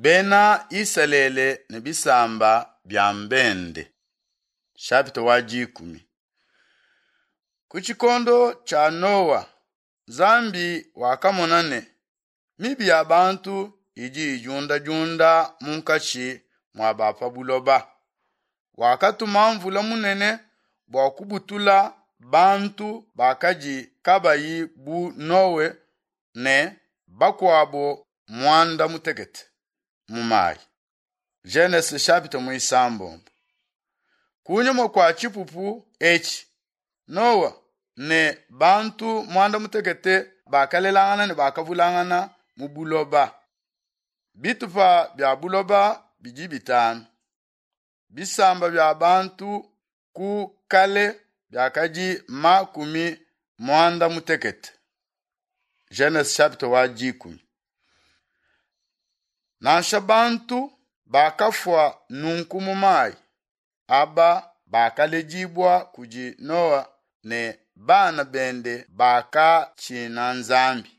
Bena Isalele ne bisamba bia mbende. Chapitre wa dikumi. Ku tshikondo tshia Noa, Nzambi wakamona ne, mibi ya bantu idi idiundadiunda munkatshi mua ba pa buloba. Wakatuma mvula munene bua kubutula bantu bakadi kabayi bu Noe ne bakuabo muanda mutekete mu mayi. Genese chapitre muisambombo. Kunyima kua tshipupu etshi, Noa ne bantu muanda mutekete bakalelangana ne bakavulangana mu buloba. Bitupa bia buloba bidi bitanu. Bisamba bia bantu ku kale biakadi makumi muanda mutekete. Genese chapitre wa dikumi. Nansha bantu bakafua nunku mu mayi, aba bakaledibua kudi Noa ne bana bende bakatshina Nzambi.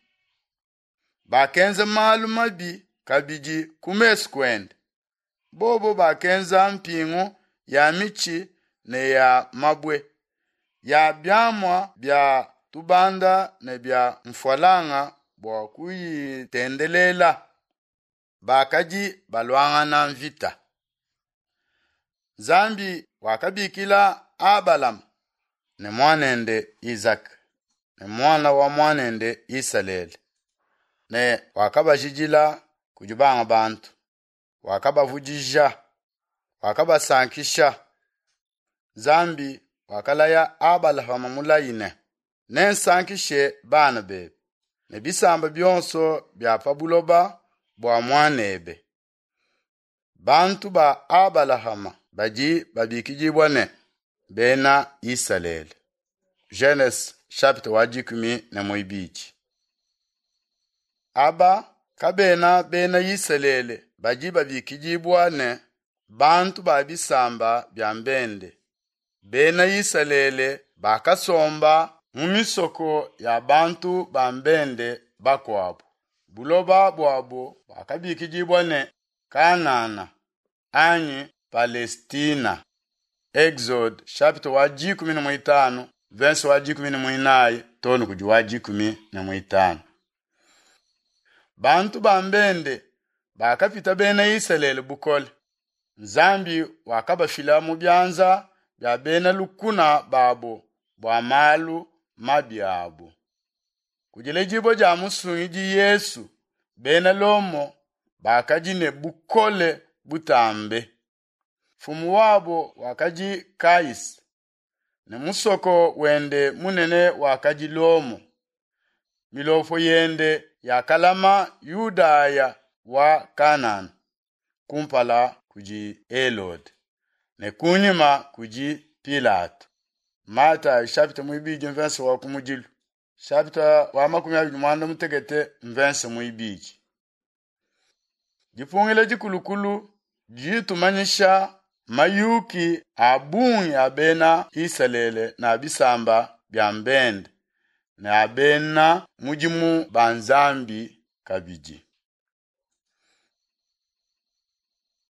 Bakenza malu mabi kabidi ku mesu kuende. Bobo bakenza mpingu ya mitshi ne ya mabue, ya biamua bia tubanda ne bia mfualanga bua kuyitendelela. Bakadi baluangana mvita. Nzambi wakabikila Abalama ne muanende Izaka ne muana wa muanende Isalele ne wakabajidila kudi banga bantu, wakabavudija, wakabasankisha. Nzambi wakalaya Abalahama mulayi ne, nensankishe bana bebe ne bisamba bionso bia pa buloba bua muanebe. Bantu ba Abalahama badi babikidibua ne Bena Isalele. Genese chapitre wa dikumi ne muibidi. Aba kabena Bena Isalele badi babikidibua ne bantu ba bisamba bia mbende. Bena Isalele bakasomba mu misoko ya bantu ba mbende bakuabu. Buloba buabo buakabikidibua ne Kanana anyi Palestina. Exode chapitre wa dikumi ne muitanu verse wa dikumi ne muinayi too ne kudi wa dikumi ne muitanu. Bantu ba mbende bakapita bena Isalele bukole. Nzambi wakabafila mu bianza bia bena lukuna babo bua malu mabi abo. Ku diledibua dia musungidi Yesu, bena Lomo bakadi ne bukole butambe. Mfumu wabo wakadi Kaisa, ne musoko wende munene wakadi Lomo. Milopo yende yakalama Yudaya wa Kanana kumpala kudi Helode ne kunyima kudi Pilato. Matayi chapitre muibidi mvense wa kumudilu chapitre wa makumi abidi muanda mutekete mvense muibidi. Dipungila dikulukulu didi ditumanyisha mayuki a bungi a bena Isalele ne a bisamba bia mbende ne a bena mudimu ba Nzambi kabidi.